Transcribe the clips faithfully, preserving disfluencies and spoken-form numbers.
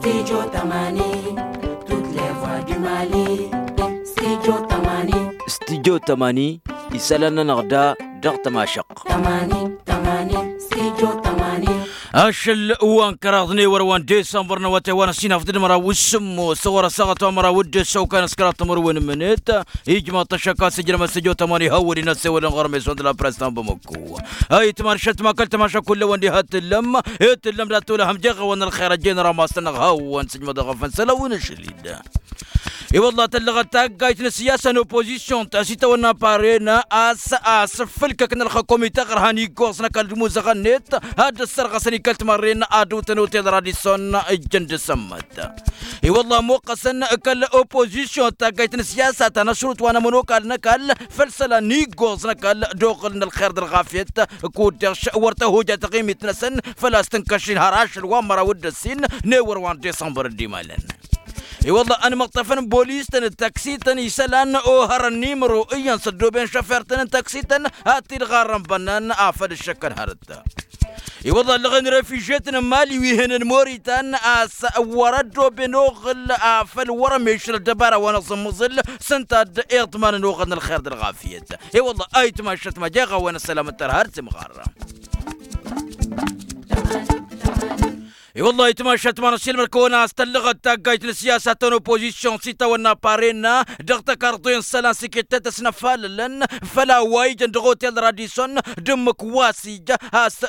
Studio tămani, toutes les voix du mali. Studio tămani. Studio tămani, isălan-nănăɣ da dăɣ-tămašăɣt. Tămani, tămani, studio tămani. Ašăl wa n-kăraḍ n-ewăr wa n-disămbăr n-awătay wa n-ăsinafăt d-măraw s-sǝmmos ɣur-ăssaɣăt wa n-măraw d-ǝssăwkan s-kăraḍ timǝrwen n-imǝnet. Ijmaḍ-t ăššăk a-s ǝjrăm ăssăjo tămani hawăd-in ăssewălăn ɣur-meson d-la press ta n-bamăkku. Ayǝtman šătma kăl-tămaša kull-ăwăn diha t-tǝllăm. T-tǝllăm dat-tolăhăm jeɣ-awăn ălxer ăjjeen ramas-nănăɣ hawăn-sǝjmăḍ dăɣ-afănsăl a-wen ašăl-dd. I-wălla tăllăɣăt taggayt n-ăssiyasa n-oppozisyon ta s-itawănna parena a-s asǝffǝlkăk n-ălxăkom ităɣrăhăn iggoẓ n-ăkall d-imuzăɣăn-net ad-dd-ăssărɣăsăn ikăl timărren ad-ǝwtăn otel radison. Ǝjjăn d-asămmăt i-wălla ămoqqăsăn kăl-oppozisyon taggayt n-ăssiyasa ta n-ašrut wa n-ămănokal n-ăkall făll-isălan n-iggoẓ n-ăkall d-oɣǝl n-ălxer d-ălɣafyăt. Kud-dăɣ wăr tăhojat taɣimit-năsăn făl-a-s tǝnkăšin har ašăl wa n-măraw d-ăssin n-ewăr wa n-disămbăr dd-imalăn. I-wălla ănmăṭṭăfăn bolis-tăn d-taksităn isălan ohărăn n-imro iyyăn s-ăddooben šăfer-tăn n-taksităn. Ad-t-dd-ɣarrăn bănnan afăl ǝššăkkăn hărăt. I-wălla ăllăɣen refižetăn n-mali wi hănen moritan a-s wăr-ăddooben oɣǝl afăl wăr-ămešăl ăddăbara wa n-aẓǝmmǝẓǝl. S-ǝnta d-iḍmanăn oɣǝl n-ălxer d-ălɣafyăt. I-wălla ayǝtmašăt ma jeɣ-awăn ăssălam ǝttăr har timɣarra. I-wălla ayǝtmašăt ma n-ăsilmăr-kăwăn a-s tăllăɣăt taggayt n-ăssiyasa ta n-oppozisyon s-itawănna parena dăɣ-tăkarḍe n-isălan s-iket tetăsnăfalălăn făll-a-wa ijăn dăɣ-otel radison. D-ǝmmǝk wa s-ija a-s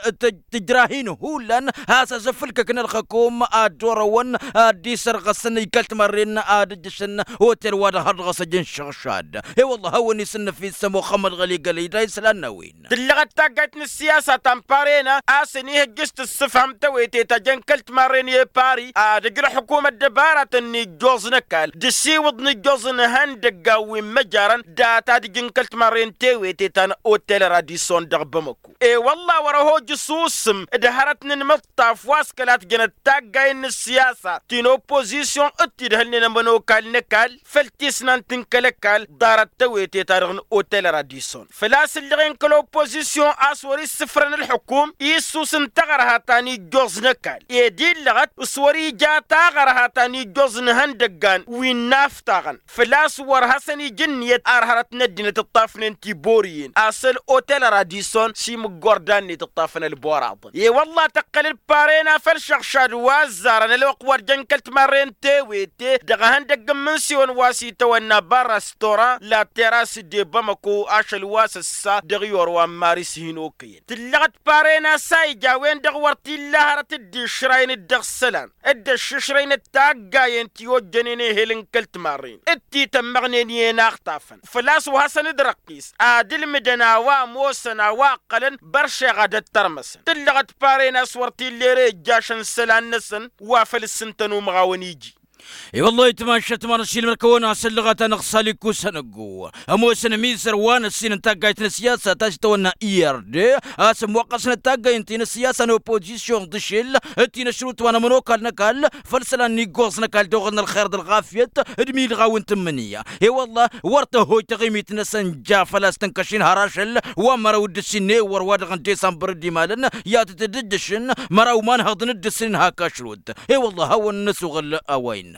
tǝjrahin hullan a-s asǝffǝlkăk n-ălxăkom ad-dd-orăwăn ad-dd-isărɣăsăn ikăl timărren ad-ǝjjǝšăn otel wa dăɣ-har dăɣ-s ăj n-išăɣšad. I-wălla hawăn-isǝnnăf issă muxămmăd ɣăli gălăy da isălan n-a-wen. Tǝllăɣăt taggayt n-ăssiyasa ta n-parena a-s ănihăjjǝš tǝssǝfhăm tewete ta jăn kăl-timarren i-pari ad-ăj ălxukum ăddăbaratăn n-ijjoẓ n-ăkall d-asiwǝḍ n-ijjoẓ n-ihăndăggan wi n-măjarăn data d-ǝjǝn kăl-timarren tewete ta n-otel radison dăɣ-bamăko. I-wălla wăr-ăhoj s-usǝm d-hărăt n-inmǝṭṭaf wa s-kăla tǝjjănăt taggayen n-ăssiyasa ti n-oppozisyon d-tidhǝlnen ămănokal n-ăkall făll-tisnant n-kăl-ăkall ḍarăt tewete-ta-dăɣ n-otel radison făl-a-s ǝllăɣen kăl-oppozisyon a-s wăr-issǝfrăn ǝlxǝkum issus n-taɣărha ta n-ijjoẓ n-ăkall ed illăɣăt s-wăr-ija a taɣărha ta n-ijjoẓ n-ihăndăggan wi n-inaftaɣăn făl-a-s wăr hasăn-ija ǝnniyăt ar hărăt n-ăddinăt ǝṭṭafnen tiborǝyen asăl otel radison s-imǝggordan-net ǝṭṭafăn ălboraḍăn i-wălla tăqqăl-dd parena făll-išăɣšad wa ăzzarăn ălwăqq wa d-jăn kăl-timarre n-tewete dăɣ-ehăndăgg n-imǝnsiwăn wa s-itawănna barastora la teras de bamăko ašăl wa s-ăssa dăɣ-iyor wa n-maris hin-okăyăn tǝllăɣăt parena s-a ija a-wen-dăɣ wăr t-illa hărăt dd-išrayăn-dd dăɣ-isălan dd-ăššǝšrăynăt taggayen ti ojjănen ehel n-kăl-timarren d-titămmăɣnen i-inaxtafăn făl-a-s wa hasăn-dd-răqqis ad-ǝlmǝdăn a-wa ămoosăn a-wa ǝqqălăn băršeɣ ad-ăttărmăsăn tǝllăɣăt parena s-wăr t-illa ere ijjašăn isălan-năsăn wa făl ǝssǝntăn umăɣawăn iji. I-wăllah itmašăt ma n-ašilmăr-kăwăn a-s ăllăɣăt-anăɣ saliku sănăggo ămoosăn ămizăr wa n-ăssin n-taggayt n-ăssiyasa ta s-itawănna irde a-s ămmoqqăsnăt taggay ǝnta i-inăssiyasa n-oppozisyon d-ašil d-tinăšrut wa n-ămănokal n-ăkall făll-isălan n-iggoẓ n-ăkall d-oɣăl n-ălxer d-ălɣafyăt d-imidɣawen n-tǝmmǝnǝya. I-wăllah wăr tăhoj taɣimit-năsăn ja făl-a-s tǝnkăšin har ašăl wa n-mărăw d-ǝssin n-ewăr wa dăɣ-n-disămbăr dd-imalăn i-ad-tǝtdǝjjăšăn măraw imanhăḍăn d-ǝssin n-hak ašrut. I-wăllah hawăn-năsuɣǝl a-wa innă.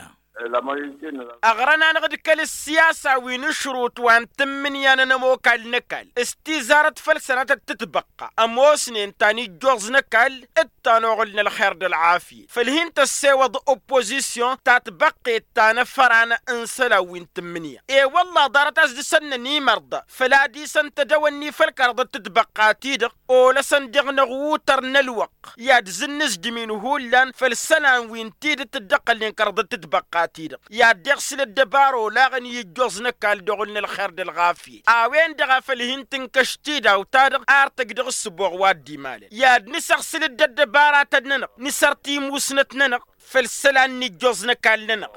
Aɣrăn-anăɣ d-kăl-ăssiyasa wi n-ašrut wa n-tǝmmǝnǝya n-ănămokal n-ăkall s-tizarăt făll-sănatăt tǝtbăqqa ămoosnen ta n-ijjoẓ n-ăkall d-ta n-oɣǝl n-ălxer d-ălɣafyăt făll-hin-tăssewăḍ oppozisyon ta tbăqqet ta n-afăran n-isălan wi n-tǝmmǝnǝya. I-wălla ḍarăt a-s dăr-săn nănimărḍa făl-ad-isăn tădăwănni făll-kăraḍăt tǝtbăqqa-ti-dăɣ olăsăn dăɣ-năɣutăr n-ălwăqq i-ad-zǝnnǝzdǝm-in hullan făll-isălan wi n-tidǝt dd-ăqqălnen kăraḍăt tǝtbăqqa-ti-dăɣ i-ad-deɣ sǝl ăddăbara olaɣăn i-ijjoẓ n-ăkall d-oɣǝl n-ălxer d-ălɣafyăt a-wen-dăɣ a făl hin-tǝnkăš tidawt-ta-dăɣ ar tăj dăɣ-ǝssǝboɣ wa dd-imalăn i-ad-nǝsăɣ sǝl dd-ăddăbaratăn-nănăɣ nǝsăr timusnăt-nănăɣ făll-isălan n-ijjoẓ n-ăkall-nănăɣ.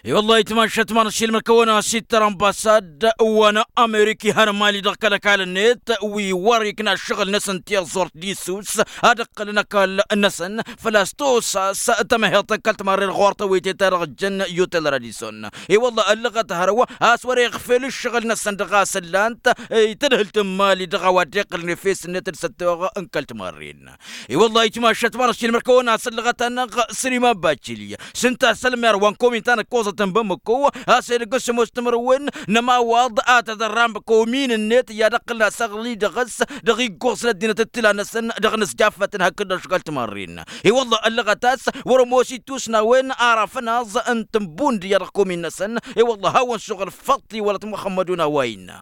I-wăllah itmašăt ma n-ašilmăr-kăwăn a-s ittăr ănbasad wa n-amerika ihăn mali dăɣ-kăl-ăkall-net wi wăr-ikna ǝššăɣǝl-năsăn tiẓẓurt d-isus ad-ǝqqǝlăn ăkall-năsăn făl-a-s tosas tămăheḍt n-kăl-timarren ɣur-tăwete-ta-dăɣ ǝjjăn i-otel radison. I-wăllah ăllăɣăt hărwa a-s wăr-iɣfel ǝššăɣǝl-năsăn dăɣ-a-s ǝllan-t i-tadhǝlt n-mali dăɣ-a-wa dd-iqqǝlăn efes-net d-săttoɣ n-kăl-timarren. I-wăllah itmašăt ma n-ašilmăr Ăkăwăn-as ăllăɣăt-anăɣ săr-iman baccili s-ǝnta a-s ălmer wa n-komin ta n-ăkkoẓăt n-bamăko a-s edăgg s-ămoos timǝrwen n-ămawaḍ a tădărram komin-net i-ad-ăqqǝlăn asăɣli dăɣ-s dăɣ-iggoẓ n-ăddinăt d-tila-năsăn dăɣ-inǝsjafătăn hakd-dăɣ šăɣal timarren. I-wălla ăllăɣăt-as wăr-ămoos ittusnawen araf ănaẓ n-tǝnbund i-ad-dăɣ komin-năsăn. I-wălla hawăn-suɣǝl făṭṭi wăla t-muxămmădun a-wa innă.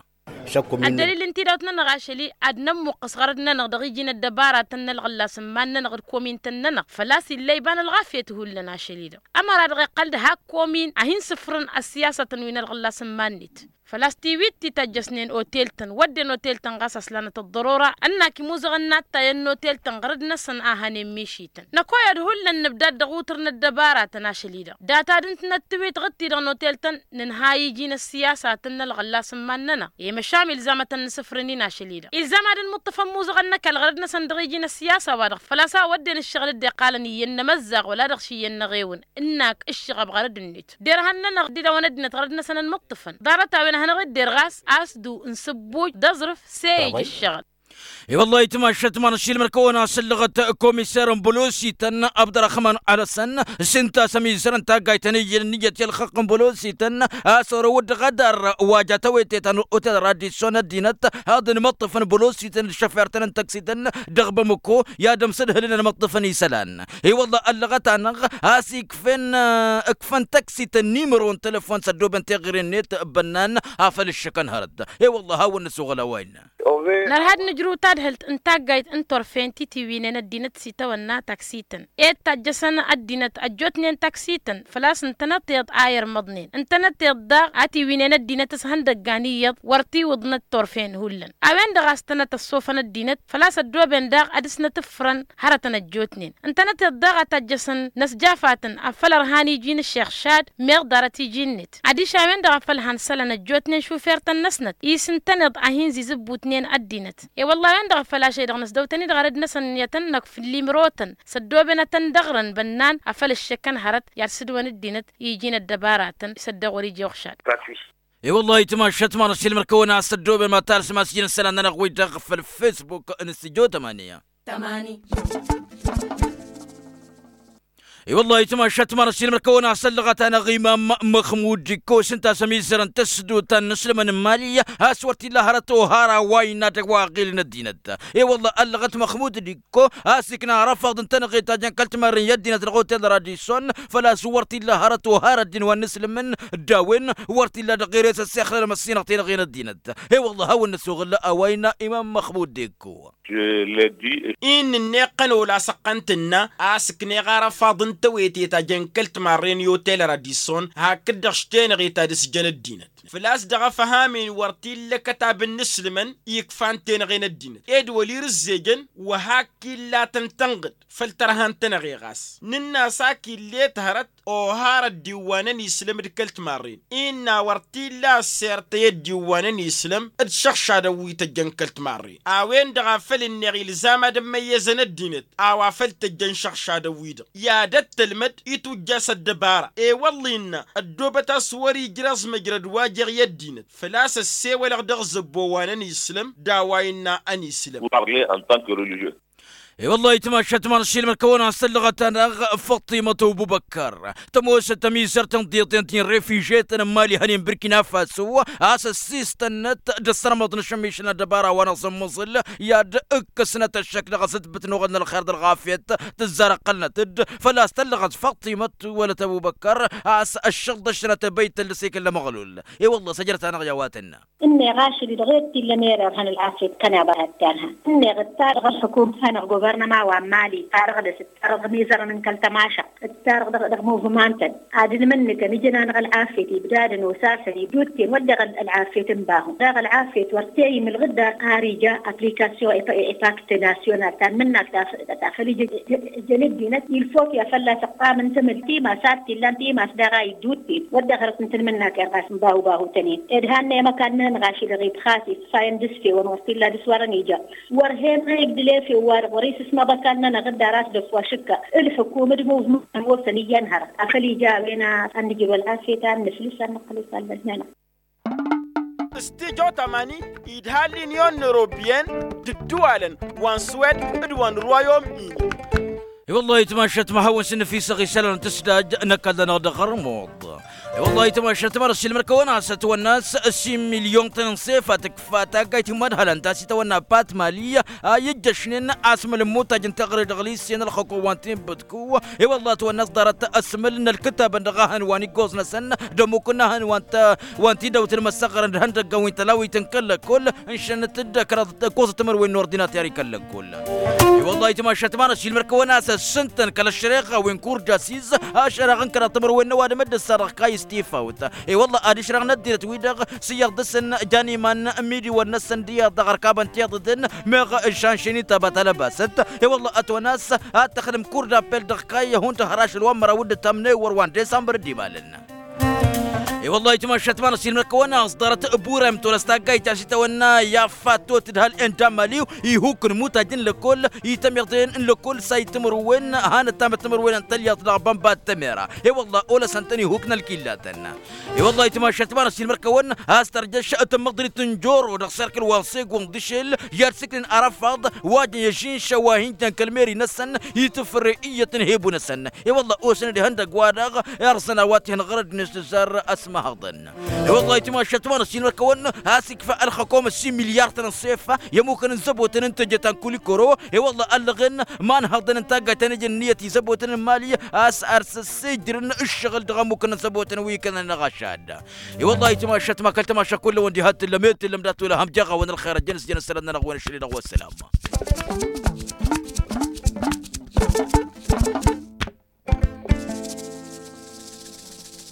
Ăddălil n-tidawt-nănăɣ ašăl-i ad-nămmuqqăs ɣărăd-nănăɣ dăɣ-iji n-ăddăbaratăn n-ălɣǝllas n-iman-nănăɣ d-komin-tăn-nănăɣ făl-a-s illa iba n-ălɣafyăt hullan ašăl-i-dăɣ ămăra-dăɣ iqqăl-dd hak komin a hin-sǝfrǝn ăssiyasătăn wi n-ălɣǝllas n-iman-net. Făl-a-s tiwit ti tăjjăsnen otel-tăn wădden otel-tăn ɣas a-s lanăt ăḍḍărora ănnak imuzăɣăn n-attayăn n-otel-tăn ɣărăd-năsăn a hănen mišităn năkoyăd hullan nǝbdad dăɣ-utǝr n-ăddăbaratăn ašăl-i-dăɣ. Data d-ǝntǝnăt tiwit ɣǝttidăɣ n-otel-tăn nǝnhay iji n-ăssiyasatăn n-ălɣǝllas n-iman-nănăɣ i-măšan ilzam ad-tăn-nǝsǝfrǝn-in ašăl-i-dăɣ ilzam ad-nǝmǝṭṭǝfăn imuzăɣăn n-ăkall ɣărăd-năsăn dăɣ-iji n-ăssiyasa-wa-dăɣ făl-a-s a wădden ǝššăɣǝl dd-iqqalăn iyyăn n-emăzzaɣ wăla dăɣ-s iyyăn n-eɣewăn ǝnnak ǝššăɣăb ɣărăd-net derhan-nănăɣ d-idawăn ăddinăt ɣărăd-năsăn ănmǝṭṭǝfăn ḍarăt-a-wen ad-hanăɣ-idder ɣas a-s du n-sǝbbuj d-aẓrǝf s-e-ij ǝššăɣǝl. I-wăllah itmašăt ma n-ašilmăr kăwăn-asăllăɣăt komiser n-bălosităn abdărăxman alăsăn s-ǝnta a-s ămizăr n-taggayt ta n-iyyăn ǝnniyăt i-ălxăqq n-bălosităn a-s wăr-ăwǝddăɣ ad-arr wa ja tawete ta n-otel radisson ăddinăt ad-ănmăṭṭăfăn bălosităn d-šăfer-tăn n-tăksităn dăɣ-bamăko i-ad-ămsǝdhǝlăn ănmăṭṭăfăn isălan. I-wăllah ăllăɣăt-anăɣ a-s ikfăn ǝkfăn tăksităn nimăro n-telăfon s-ăddooben teɣăre-net bănnan afăl ǝššăkăn hărăt. I-wăllah hawăn-năsoɣăl a-wa innă. Nărha ad-nǝjrǝw tadhǝlt n-taggayt n-turfen ti tiwǝynen ăddinăt s-itawănna taksităn ed tajjăsăn ăddinăt ăjjootnen taksităn făl-a-s ǝntănăt iyyăḍ a irmăḍnen ǝntănăt iyyăḍ daɣ a tiwǝynen ăddinăt s-ihăndăggan iyyăḍ wăr tiwǝḍnăt turfen hullan a-wen-dăɣ a-s tănăt ăṣṣofăn ăddinăt făl-a-s ăddooben daɣ ad-dăr-snăt ǝffărăn hărătăn ăjjootnen ǝntănăt iyyăḍ daɣ a tajjăsăn n-ăsjafatăn afăl ărhan iji n-ǝššeɣšad meɣ ḍarăt iji-net adiš a-wen-dăɣ a făl han isălan ăjjootnen šufer-tăn-năsnăt i-s ǝntăneḍ a hin-zizǝbbutnen ăddinăt. I-wălla a-wen-dăɣ a făl ašăl-i-dăɣ năsdăw-tăn-i dăɣ-arăd-năsăn i-ad-tăn-năkf n-limro-tăn s-ăddooben ad-tăn-dăɣrăn bănnan afăl ǝššăkkăn hărăt i-ad-sǝdwăn ăddinăt i-iji n-ăddăbaratăn s-ăddăɣ wăr-ija uxšad. I-wălla itmašăt ma n-ašilmăr kăwăn-asăddooben ma talsǝm a-s iji n-isălan-nănăɣ wi-dăɣ făll-facebook n-stujo tămani. I-wăllah itmašăt ma n-ašilmăr kăwăn-asăllăɣăt-anăɣ imam măxmud ikkos ǝnta a-s ămizărăn tăsdut ta n-inǝslǝmăn n-imali a-s wăr t-illa hărăt ohara wa innă dăɣ-wa ăɣilăn ăddinăt. I-wăllah ăllăɣăt măxmud d-ikko a-s ikna arăfaḍ n-tenăɣe ta jăn kăl-timarren i-ăddinăt dăɣ-otel radisson făl-a-s wăr t-illa hărăt ohara ăddin wa n-inǝslǝmăn d-a-wen wăr t-illa dăɣ-ere s-ăssexlălăm ăssinăɣ tenăɣe n-ăddinăt. I-wăllah hawăn-năsoɣǝl a-wa innă imam măxmud d-ikko. Inn'-net iqqăn ola s-ăqqăn-tǝnna a-s ǝkneɣ arăfaḍ n-tewete ta jăn kăl-timarren i-otel radisson hakd-dăɣ s-tenăɣe ta dăr-s jăn ăddinăt făl-a-s dăɣ-afăhamen wăr t-illa akătab n-inǝslǝmăn ikfan tenăɣe n-ăddinăt ed wăl-irǝzzejăn wa hak illatăn tănɣǝd făll-tărha n-tenăɣe ɣas nǝnn'-as ak ill'-et hărăt ohar ăddiwwan ăniislăm d-kăl-timarren innă wăr t-illa ăssert i-ăddiwwan ăniislăm d-išăɣšadăn wi tăjjăn kăl-timarren a-wen-dăɣ a făl ǝnneɣ ilzam ad-ămmăyyăzăn ăddinăt a-wa făl tăjjăn išăɣšadăn-wi-dăɣ i-ad-ăttălmăd itujja s-ăddăbara i-wălla innă ăddoobăt a-s wăr-ijreẓ măjrăd wa jeɣ i-ăddinăt făl-a-s ăssewălăɣ dăɣ-zăbbo wa n-ăniislăm d-a-wa innă ăniislăm. I-wăllah itmašăt ma n-ašilmăr kăwăn-asăllăɣăt-anăɣ făṭṭimăt obubăkkăr tămoosăt ămizărt n-tiḍeḍen ti n-refižetăn n-imali hănen birkina faso a-s ăssiistănnăt d-ăssărmăḍ n-ašămmišăn ăddăbara wa n-aẓǝmmǝẓǝl i-ad-ǝkkăsnăt ăššăk dăɣ-asǝtbǝt n-oɣăl n-ălxer d-ălɣafyăt tǝzzar ăqqălnăt-dd făl-a-s tăllăɣăt făṭṭimăt wălăt ăbubăkkăr a-s ăššăɣ dd-ăššănăt băyt tăllăs ikǝlla măɣlul. I-wălla săjrăt-anăɣ i-a-wa tǝnna. Ǝnneɣ ašăl-i-dăɣ ed t-illa mererha n-ălɣafyăt kăneḍ a hăttalha ǝnneɣ ǝttarăɣ ălxǝkum hanăɣ-guvărnăma wa n-mali ǝttarăɣ dăɣ-s ǝttarăɣ mizărăn n-kăl-tămašăɣt ǝttarăɣ dăɣ-muvǝmantăn ad-ǝlmǝnnǝkăn ijăn-anăɣ ălɣafyăt ibdadăn osasăn ibdudten wădden ălɣafyăt n-bahu daɣ ălɣafyăt wăr t-e-imǝlɣǝd dar ar ija aplikasyon epakt nasyonal ta n-imǝnnak ta făl ija ǝjăn ăddinăt ilfok i-ad-fălla-s ǝqqam n-tamǝlt timas ad-t-illan timas daɣ a iddudten wădden hărăt n-tanmǝnnak irɣas n-bahu bahu tănen ed hannăy amăkan-nănăɣ ašăl-i-dăɣ ibxas iṣṣayăn d-isfewăn wăr t-illa dăr-s wărăn ija wăr hen a igdǝl efew-wa-dăɣ wăr-isǝsmăḍ ăkall-nănăɣ dd-ar a-s dăf-wa šǝkka ǝlxǝkum d-muvmăn wăr-tăn iyyăn hărăt afăl ija a-wen a ănnǝjrǝw ălɣafyăt a ănnǝflǝs a ănnăqqăl isallăt-nănăɣ. Stijo tamani idha l-inyon n-europyen d-ǝddǝwalăn wa n-swed d-wa n-rwayom-ini. I-wăllah itmašat ma hawăn-sǝnnǝfisăɣ isălan n-tǝsdaj n-ăkall-nănăɣ dăɣ-ărmuḍ. I-wăllah itmašat ma n-ăssiilmăr kăwăn-asăt wănnas s-imilyon-tăn n-sefa tǝkfa taggayt n-imădhălăn ta s-itawănna pat mali a i-ǝjjăšnen asmăl n-imutaj n-teɣăre dăɣ-lisen ălxăko wa n-tinbǝtku. I-wăllah ătwănna s-ḍarăt asmăl n-ălkǝtabăn dăɣ-ahăn wa n-iggoẓ-năsăn d-ămmuk n-ahăn wa n-tidăwt n-imăssăɣrăn d-ihăndăggăn wi n-tălawit n-kăl-lăkkol. Ǝnšănăt-dd ăkraḍ d-ǝkkoẓăt timǝrwen n-ordinater i-kăl-lăkkol. I-wăllah itmašat ma n-ăssiilmăr kăwăn-asăt s-ǝntăn kăl-ăššăreɣa wi n-kurjasiz ašăreɣ n-kăraḍ timǝrwen n-ăwadǝm dd-ǝssarăɣ kayǝs tifawt. I-wăllah ad-išrăɣ n-ăddinăt-wi-dăɣ s-iyyăḍ dăɣ-săn jan iman n-imidǝwăn-năsăn d-iyyăḍ dăɣ-ărkabăn tiḍǝtăn meɣ ǝššan šenita batalăbasăt. I-wăllah ătwănna a-s ad-tăxdǝm kurdapel dăɣ-kayy hundăɣ hărăš ălwămmăraw d-ǝttam n-ewăr wa n-disămbăr dd-imalăn. I-wăllah itmašat ma n-ăssiilmăr kăwăn-asăt ḍarăt burem tolăs taggayt ta s-itawănna i-affatot d-hal-en d-amaliw ihuk n-imutaj n-lăkkol itămiḍen n-lăkkol sayt timǝrwen hanăt-tamăt timǝrwen n-tălyaḍt dăɣ-bănba d-tămera. I-wăllah olăsăn-tăn ihuk n-ălkillatăn. I-wăllah itmašat ma n-ăssiilmăr kăwăn-asăt tărjăš tămmăḍrit n-joro dăɣ-serkǝl wa n-segund d-ašel i-ad-sǝknen arăfaḍ wa jăn i-ažinša wa hin-jăn kăl-meri-năsăn itǝfrăy iyyăt n-hebu-năsăn. I-wăllah osăn-dd ihăndăgg-wa-dăɣ irẓăn a-wa t-ihăn ɣărăd-net tǝzzar ăsmăhăḍăn. I-wăllah itmašat ma n-ăssiilmăr kăwăn-asăt ikfa ălxăkom ăssin milyar-tăn n-sefa i-ămmukăn n-zăbotăn n-teje ta n-kulikoro. I-wăllah ăllăɣen ma n-hăḍăn n-taggayt ta n-eje n-ǝnniyăt izăbotăn n-imali a-s ar s-ăssejrǝn ǝššăɣǝl dăɣ-ămmukăn n-zăbotăn wi kănăn-anăɣ ašad. I-wăllah itmašat ma kăl-tamaša kull-awăn diha t-tǝllăm i-t-tǝllăm dat-wăla hamjaɣ-awăn ălxer ăjjăn s-jăn ăssălăm-nănăɣ-wen ašăl-i-dăɣ wa ăssălam.